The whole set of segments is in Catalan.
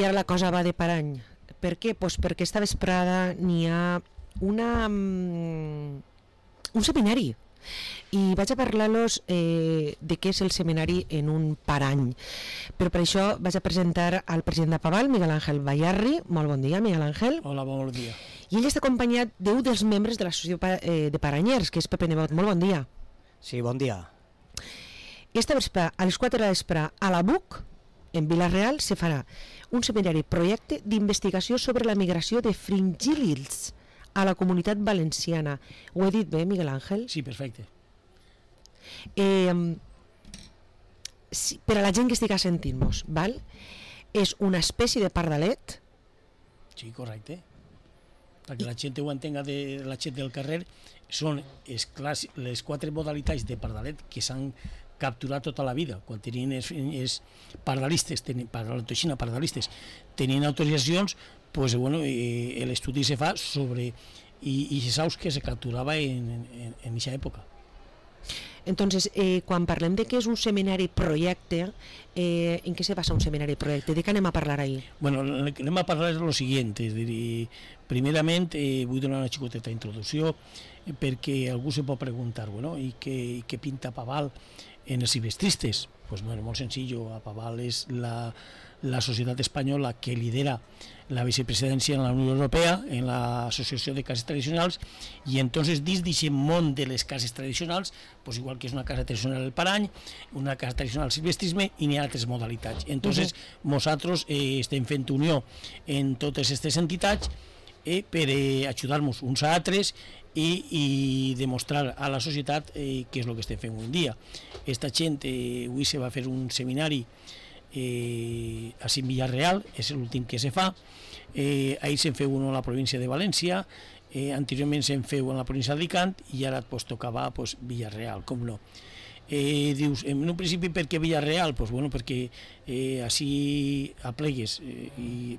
I ara la cosa va de parany. Per què? Pues perquè esta vesprada n'hi ha un seminari i vaig a parlar-los de què és el seminari en un parany, però per això vaig a presentar al president de Paval, Miguel Ángel Bayarri. Molt bon dia, Miguel Ángel. Hola, bon dia. I ell està acompanyat d'un dels membres de l'associació de paranyers, que és Pepe Nebot. Molt bon dia. Sí, bon dia. Esta vespre, a les 4 de la vespre, a la BUC, en Vila-real, se farà un seminari projecte d'investigació sobre la migració de fringíl·lids a la comunitat valenciana. Ho he dit bé, Miguel Ángel? Sí, perfecte. Per a la gent que estigui sentint-nos, val? És una espècie de pardalet? Sí, correcte. Perquè la gent ho entenga, la gent del carrer, són les 4 modalitats de pardalet que s'han capturat tota la vida. Quan tenien els pardalistes, tenien autoritzacions, pues, bueno, l'estudi se fa sobre i se saus que se capturava en aquesta època. Entonces, quan parlem de que és un seminari projecte, en què se basa un seminari projecte? De què anem a parlar ahir? Bueno, anem a parlar de lo siguiente, és a dir, primerament vull donar una xicoteta introducció perquè algú se pot preguntar, bueno, i què pinta Paval en els silvestristes? Pues bueno, molt senzill, a Paval és la societat espanyola que lidera la vicepresidència en la Unió Europea, en l'Associació de Cases Tradicionals, i entonces dins d'aquest món de les cases tradicionals, pues igual que és una casa tradicional el parany, una casa tradicional el silvestrisme, i n'hi ha altres modalitats. Entonces nosaltres estem fent unió en totes aquestes entitats per ajudar-nos uns a altres i demostrar a la societat què és el que estem fent avui en dia. Esta gent, avui se va fer un seminari a Vila-real, és l'últim que se fa. Ahir se'n feu un a la província de València, anteriorment se'n feu en la província d'Alicant i ara pues, tocava pues, Vila-real, com no. Dius, en un principi per què Vila-real? Pues, bueno, perquè així aplegues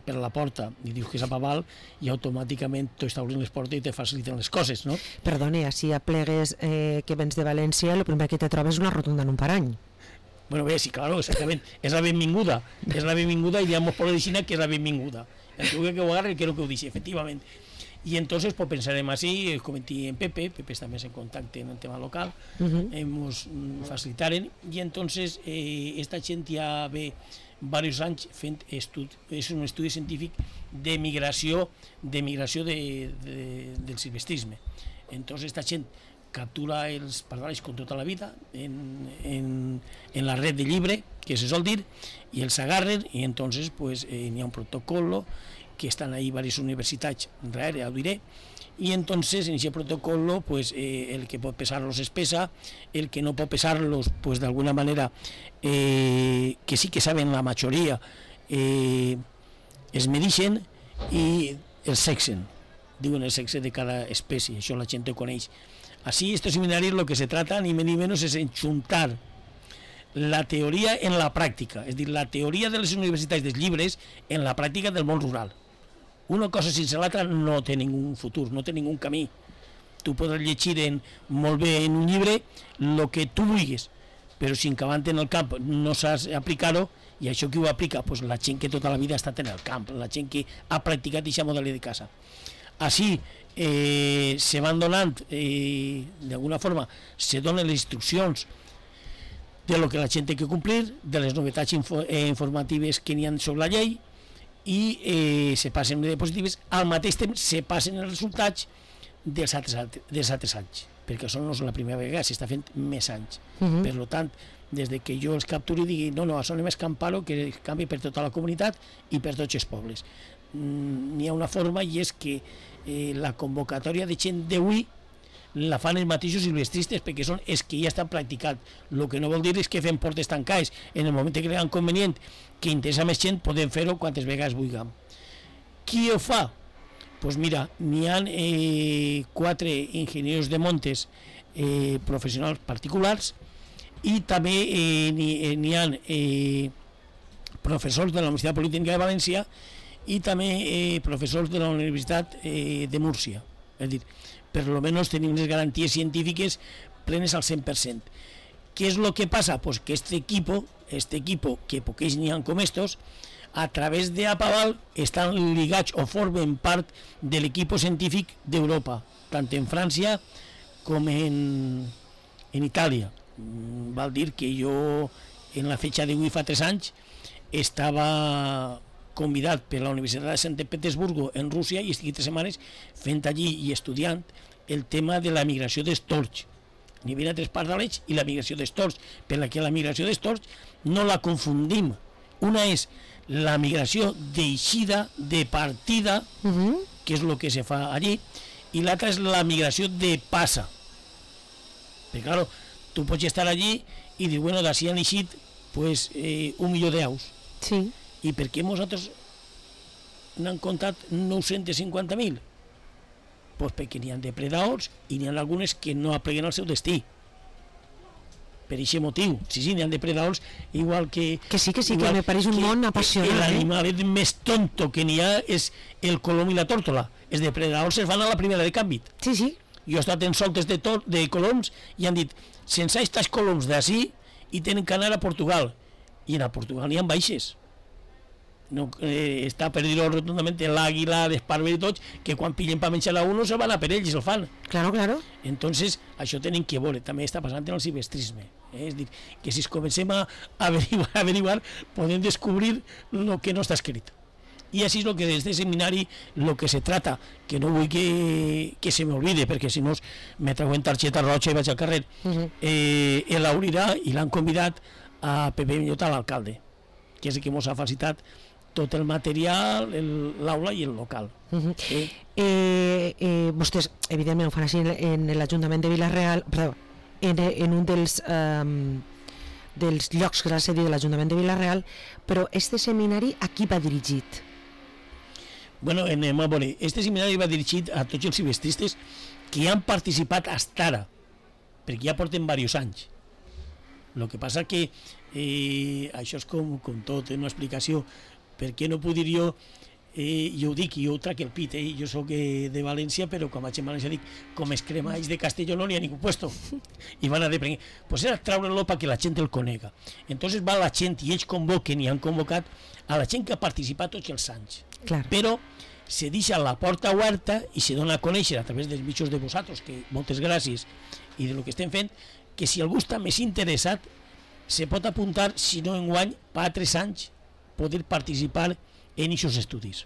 per la porta i dius que és a Paval i automàticament t'ho està obrint les portes i te faciliten les coses, no? Perdone, així aplegues que vens de València, el primer que te trobes és una rotonda en un parany. Bueno, bé, sí, claro, exactament, és la benvinguda i diguem per l'origina que és la benvinguda. El que ho agarre, que ho deixi, efectivament. Y entonces pues pensarem así, comenté en Pepe també en contacte en el tema local, ens facilitaren, i entonces esta gent ja ve diversos anys fent és un estudi científic de migració del silvestrisme. Entonces esta gent captura els pardals com tota la vida en la red de llibre, que se sol dir, i els agarren, i entonces pues n'hi ha un protocolo que estan ahí varias universitats darrere, ho diré, y entonces en ese protocolo pues el que pot pesar-los es pesa, el que no pot pesar-los pues de alguna manera que sí que saben la majoria es medixen i els sexen, diuen el sexe de cada espècie, això la gent ho coneix. Así estos seminarios lo que se trata ni menos es enxuntar la teoria en la pràctica, és a dir, la teoria de les universitats dels llibres en la pràctica del món rural. Una cosa sense l'altra no té ningú futur, no té ningú camí. Tu podràs llegir molt bé en un llibre el que tu vulguis, però si encavant en el camp no saps aplicar-ho, i això qui ho aplica? Pues la gent que tota la vida ha estat en el camp, la gent que ha practicat aquesta modalitat de casa. Així se van donant, d'alguna forma, se donen les instruccions de lo que la gent té que complir, de les novetats informatives que n'hi ha sobre la llei, i se passen les diapositives, al mateix temps se passen els resultats dels altres anys, perquè això no és la primera vegada, s'està fent més anys. Per tant, des que jo els capturi i digui, no, això anem a escampar-ho, que canvi per tota la comunitat i per tots els pobles. N'hi ha una forma, i és que la convocatòria de gent d'avui la fan els mateixos silvestristes, perquè són els que ja estan practicant. El que no vol dir és que fem portes tancades. En el moment que creuen convenient que interessa més gent, podem fer-ho quantes vegades vulguem. Qui ho fa? Doncs mira, n'hi ha 4 enginyers de montes professionals particulars, i també n'hi ha professors de la Universitat Politècnica de València i també professors de la Universitat de Múrcia. És a dir, per almenys tenim les garanties científiques plenes al 100%. ¿Qué es lo que pasa? Pues que este equipo, que poquets n'hi ha com estos, a través de Apaval estan ligats o formen part de l'equip científic d'Europa, tant en França com en Itàlia. Val dir que jo en la fetxa d'avui fa 3 anys estava convidat per la Universitat de Sant Petersburgo en Rússia i estic 3 setmanes fent allí i estudiant el tema de la migració dels tords a nivell de 3 parts de l'eix i la migració dels tords, per la que la migració dels tords no la confundim. Una és la migració d'eixida, de partida, que és el que se fa allí, i l'altra és la migració de passa. Perquè, clar, tu pots estar allí i dir, bueno, d'ací han eixit pues, 1 milió d'aus. Sí. I per què nosaltres n'han comptat 950.000? Pues perquè n'hi ha depredadors i n'hi ha algunes que no apleguen el seu destí. Per aquest motiu. Sí, n'hi ha depredadors igual que... Que sí, que me pareix un món apassionant. L'animal més tonto que n'hi ha és el colom i la tórtola. Els depredadors es van a la primera de canvi. Sí, sí. Jo he estat en soltes de coloms i han dit, sense aquests coloms d'ací i tenen que anar a Portugal. I a Portugal n'hi ha baixes. No, està per dir-ho rotundament l'àguila, l'esparver i tots, que quan pillen per menjar a uno se van a per ells i se'l fan. Claro, claro. Entonces, això tenen que veure, també està passant en el silvestrisme. És dir, que si es comencem a averiguar, podem descobrir el que no està escrit. I així és el que des de seminari, el que se trata, que no vull que se m'olvide, perquè si no me treuen targeta roja i vaig al carrer, l'obrirà i l'han convidat a Pepe Millota, l'alcalde, que és el que ens ha facilitat tot el material, l'aula i el local. Vostès, evidentment, ho fan així en l'Ajuntament de Vila-real, perdó, en un dels llocs que és la sèrie de l'Ajuntament de Vila-real, però este seminari a qui va dirigit? Bueno, anem a veure, este seminari va dirigit a tots els silvestristes que han participat fins ara, perquè ja porten diversos anys. El que passa que això és com tot, una explicació. Per què no puc dir jo ho dic, jo ho trac el pit, jo soc de València, però quan vaig a València dic, com es cremalls de Castelló no n'hi ha ningú puesto. I van a deprenir. Pues era traure-lo perquè la gent el conega. Entonces va la gent i ells convoquen i han convocat a la gent que ha participat tots els anys. Clar. Però se deixa la porta oberta i se dona a conèixer a través dels mitjans de vosaltres, que moltes gràcies, i de lo que estem fent, que si algú està més interessat se pot apuntar, si no enguany, per 3 anys poder participar en aquests estudis.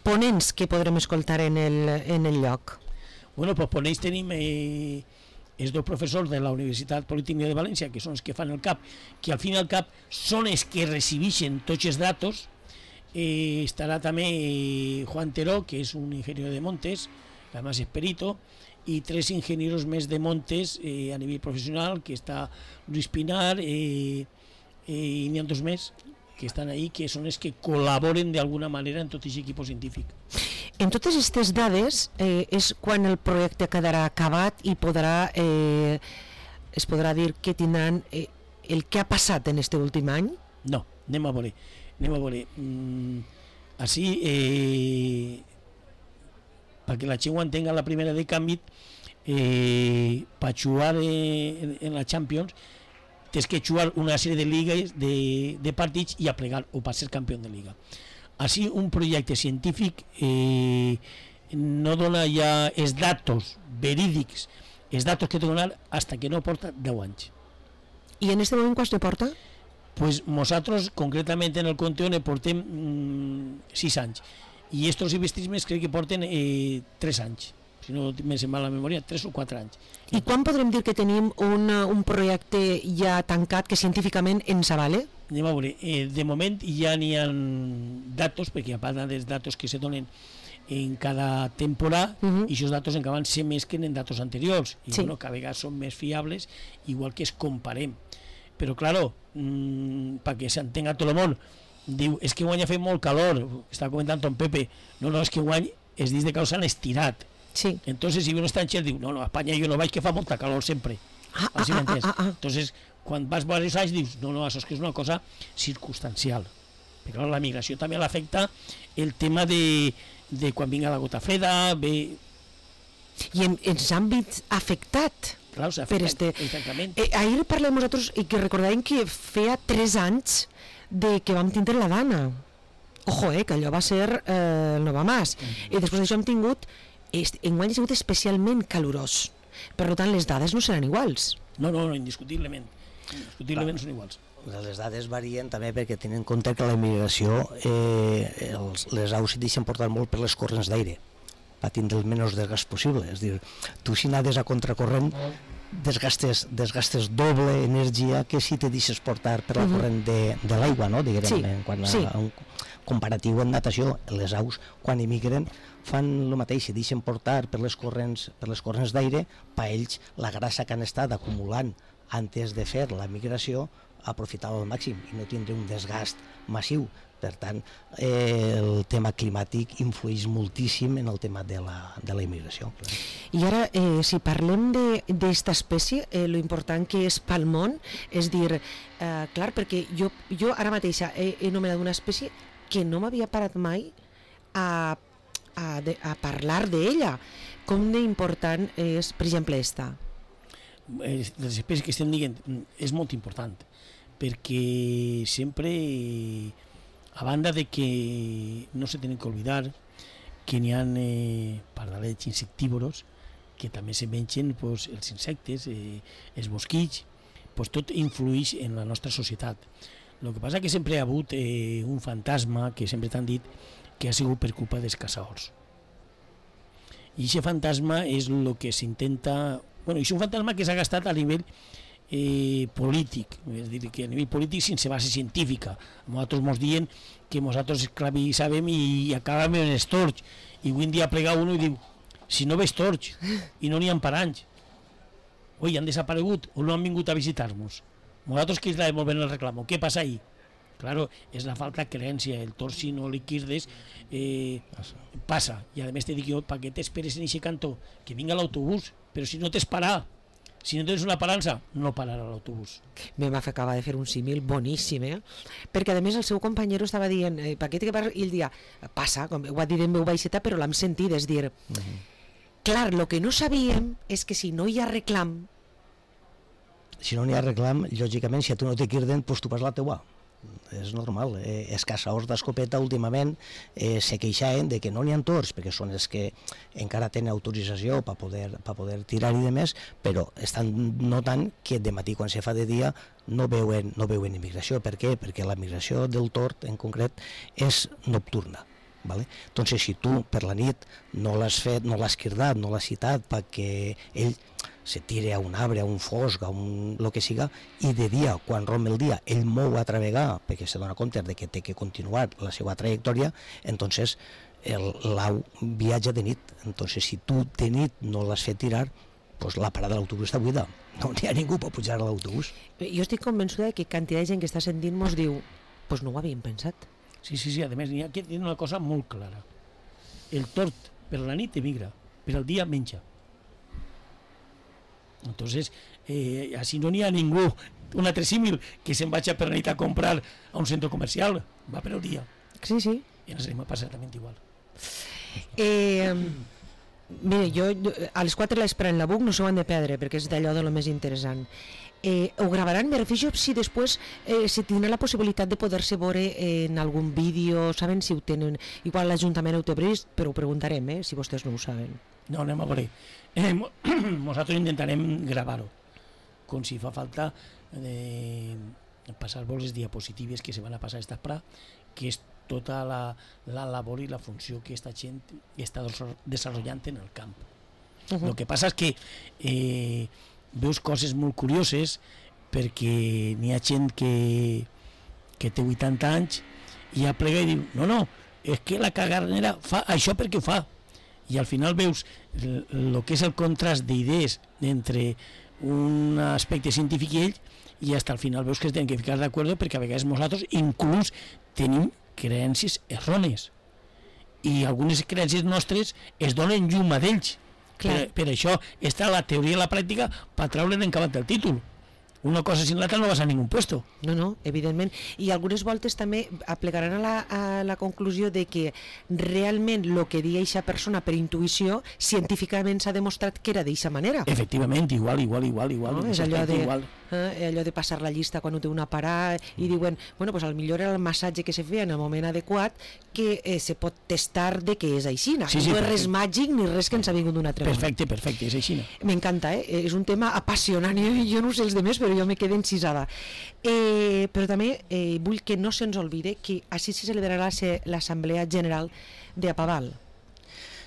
Ponents que podrem escoltar en el lloc? Bueno, pues ponents tenim els 2 professors de la Universitat Politècnica de València, que són els que fan el CAP, que al fin i al cap són els que recibeixen tots els datos. Estarà també Juan Teró, que és un ingeniero de montes, que además es perito, i 3 ingenieros més de montes a nivell professional, que està Luis Pinar, i n'hi ha 2 més que estan ahí, que són els que col·laboren d'alguna manera en tot aquest equip científic. En totes aquestes dades és quan el projecte quedarà acabat i es podrà dir que tindran el que ha passat en este últim any? No, anem a veure. Així, perquè la gent ho entenga, la primera de canvi, per jugar en la Champions tens que jugar una sèrie de lligues de partits i aplegar o per ser campió de lliga. Així un projecte científic no dona ja els datos verídics, els datos que té donar fins que no porta 10 anys. I en aquest moment quants ne porta? Pues nosaltres concretament en el Conteó ne portem 6 anys i estos silvestrismes crec que porten 3 anys, si no me sembla la memòria, 3 o 4 anys. I quan podrem dir que tenim un projecte ja tancat que científicament ens avale? Anem a veure, de moment ja n'hi ha datos, perquè a part dels datos que se donen en cada temporada, i aquests datos encara se mesclen en datos anteriors, i bueno, cada vegada són més fiables, igual que es comparem. Però, claro, perquè s'entenga tot el món, diu, és que guany ha fet molt calor, està comentant ton Pepe, no, és que guany els dies de calor s'han estirat. Sí. Entonces, si un estranger diu, no, a Espanya jo no vaig, que fa molta calor sempre. Així m'entens? Entonces, quan vas veure els anys, dius, no, això és que és una cosa circumstancial. Però la migració també l'afecta el tema de quan vinga la gota freda, I ens han vist afectat. Clar, s'ha afectat, exactament. Ahir parlem nosaltres i que recordàvem que feia 3 anys de que vam tindre la Dana. Ojo, que allò va ser el Nova Mas. I després d'això hem tingut, enguany ha sigut especialment calorós. Per tant, les dades no seran iguals. No, indiscutiblement. Indiscutiblement són iguals. Les dades varien també perquè tenen en compte que la immigració, les aus s'hi deixen portar molt per les corrents d'aire, per tindre el menys desgast possible. És a dir, tu si nades a contracorrent desgastes doble energia que si te deixes portar per la corrent de l'aigua, no? Diguem, quan a un comparatiu en natació, les aus quan emigren fan el mateix, se deixen portar per les corrents d'aire, per ells la grassa que han estat acumulant antes de fer la migració aprofitar-la al màxim i no tindre un desgast massiu. Per tant, el tema climàtic influeix moltíssim en el tema de la immigració. I ara, si parlem d'esta espècie, lo important que és pel món, és dir, clar, perquè jo ara mateixa he anomenat una espècie que no m'havia parat mai a parlar d'ella. Com d'important és, per exemple, esta? Les espècies que estem dient és molt important, perquè sempre, a banda de que no se tenen que oblidar que n'hi ha pardalets insectívoros que també se mengen els insectes, els mosquits, tot influeix en la nostra societat. El que passa que sempre ha hagut un fantasma que sempre t'han dit que ha sigut per culpa dels caçadors. I aquest fantasma és el que s'intenta... Bueno, és un fantasma que s'ha gastat a nivell polític, és a dir, que a nivell polític sense base científica. Nosaltres ens diuen que nosaltres esclavitzàvem i acabàvem en els tords, i avui en dia plega uno i diu, si no veus tords i no n'hi ha per anys, oi, han desaparegut o no han vingut a visitar-nos. Nosaltres que la devolvem el reclamo, què passa ahí? Claro, és la falta de creencia, el tord si no li quirdes passa, i a més te dic jo, per què t'esperes en aquest cantó? Que vinga l'autobús, però si no t'esperà, si no tens una parança, no pararà l'autobús. M'acaba de fer un símil boníssim, perquè a més el seu companyero estava dient, paquet que parla, i ell dia, passa, com ho ha dit en veu baixeta, però l'hem sentit, és dir, clar, el que no sabíem és que si no hi ha reclam... Si no n'hi ha reclam, lògicament, si a tu no te quirden, doncs tu vas la teua. És normal. Els caçadors d'escopeta últimament se queixaven de que no n'hi ha tords, perquè són els que encara tenen autorització per poder tirar-hi de més, però estan notant que de matí quan se fa de dia no veuen immigració. Per què? Perquè la migració del tord en concret és nocturna. Vale? Entonces, si tu per la nit no l'has fet, no l'has quirdat, no l'has citat perquè ell se tire a un arbre, a un fosc, a lo que siga, i de dia, quan romp el dia, ell mou a travegar perquè se dona compte de que té que continuar la seva trajectòria, entonces l'au viatja de nit. Entonces, si tu de nit no l'has fet tirar, pues la parada de l'autobús està buida. No n'hi ha ningú per pujar a l'autobús. Jo estic convençuda que quantitat de gent que està sentint mos diu, pues no ho havíem pensat. Sí, a més, hi ha una cosa molt clara. El tord per la nit emigra, per al dia menja. Entonces, així no n'hi ha ningú, un altre símil, que se'n vagi per la nit a comprar a un centre comercial, va per al dia. Sí. I ens anem a passar exactament igual. Mira, jo a les 4 l'esperant en la BUC no s'ho han de perdre, perquè és d'allò de lo més interessant. Ho gravaran, me refijo si després si tindrà la possibilitat de poder-se veure en algun vídeo, saben si ho tenen, igual l'Ajuntament ho té previst, però ho preguntarem, si vostès no ho saben. No, anem a veure. Nosaltres intentarem gravar-ho, com si fa falta passar-vos les diapositives que se van a passar a esta pra, que és tota la labor i la funció que esta gent està desenvolupant en el camp. El que passa és que veus coses molt curioses, perquè n'hi ha gent que té 80 anys i ja plega i diu, no, és que la cagarnera fa això perquè ho fa. I al final veus el que és el contrast d'idees entre un aspecte científic i ell, i fins al final veus que es tenen que ficar d'acord, perquè a vegades nosaltres inclús tenim creences errònies i algunes creences nostres es donen llum a d'ells. Per això està la teoria i la pràctica per treure'n encabant el títol. Una cosa sin l'altra no vas a ningú puesto. No, evidentment. I algunes voltes també aplegaran a la conclusió de que realment el que deia aquesta persona per intuïció científicament s'ha demostrat que era d'aquesta manera. Efectivament, igual. No? És allò de... allò de passar la llista quan ho té una parada, i diuen, bueno, pues millor era el massatge que se feia en el moment adequat, que se pot testar de que és així. No és res màgic ni res que ens ha vingut d'un altre món. Perfecte, és així. M'encanta, és un tema apassionant, jo no sé els demés, però jo me quedo encisada. Però també vull que no se'ns oblide que així se celebrarà l'Assemblea General de Apaval.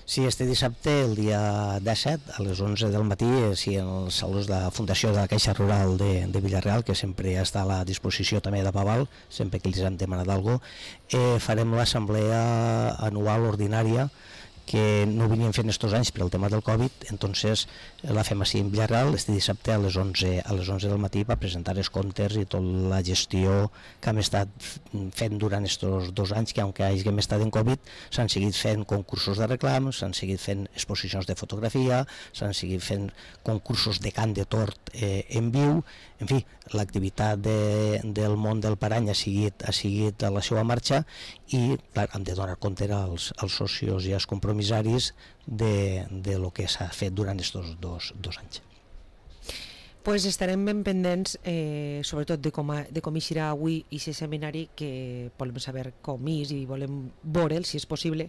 Sí, este dissabte, el dia 17, a les 11 del matí, sí, en els salons de la Fundació de la Caixa Rural de Villarreal, que sempre està a la disposició també d'Apaval, sempre que els hem demanat alguna cosa, farem l'assemblea anual ordinària, que no ho veníem fent estos anys per el tema del Covid, entonces la fem així en Villarreal, este dissabte a les 11 del matí, per presentar els comptes i tota la gestió que hem estat fent durant estos 2 anys, que aunque hàgim estat en Covid, s'han seguit fent concursos de reclams, s'han seguit fent exposicions de fotografia, s'han seguit fent concursos de cant de tort en viu, en fi, l'activitat del món del parany ha seguit a la seva marxa i clar, hem de donar compte als socios i als compromissaris de lo que s'ha fet durant aquests dos anys. Pues estarem ben pendents, sobretot de com eixirà avui aquest seminari, que volem saber com és i volem veure'l, si és possible,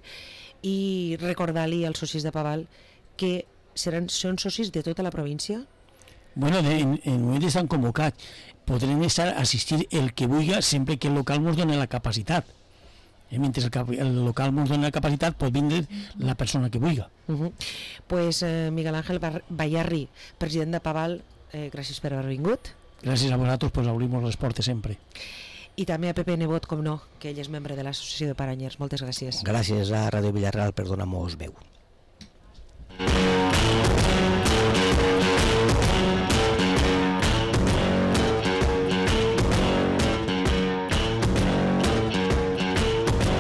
i recordar-li als socis de Paval que són socis de tota la província. Bueno, en moment estan convocats. Podrem assistir el que vulgui sempre que el local ens doni la capacitat. Mentre el local ens doni la capacitat pot vindre la persona que vulgui. Pues Miguel Ángel Bayarri, president de Paval, gràcies per haver vingut. Gràcies a vosaltres, pues obrim les portes sempre. I també a Pepe Nebot, com no, que ell és membre de l'Associació de Paranyers. Moltes gràcies. Gràcies a Ràdio Villarreal per donar-nos veu.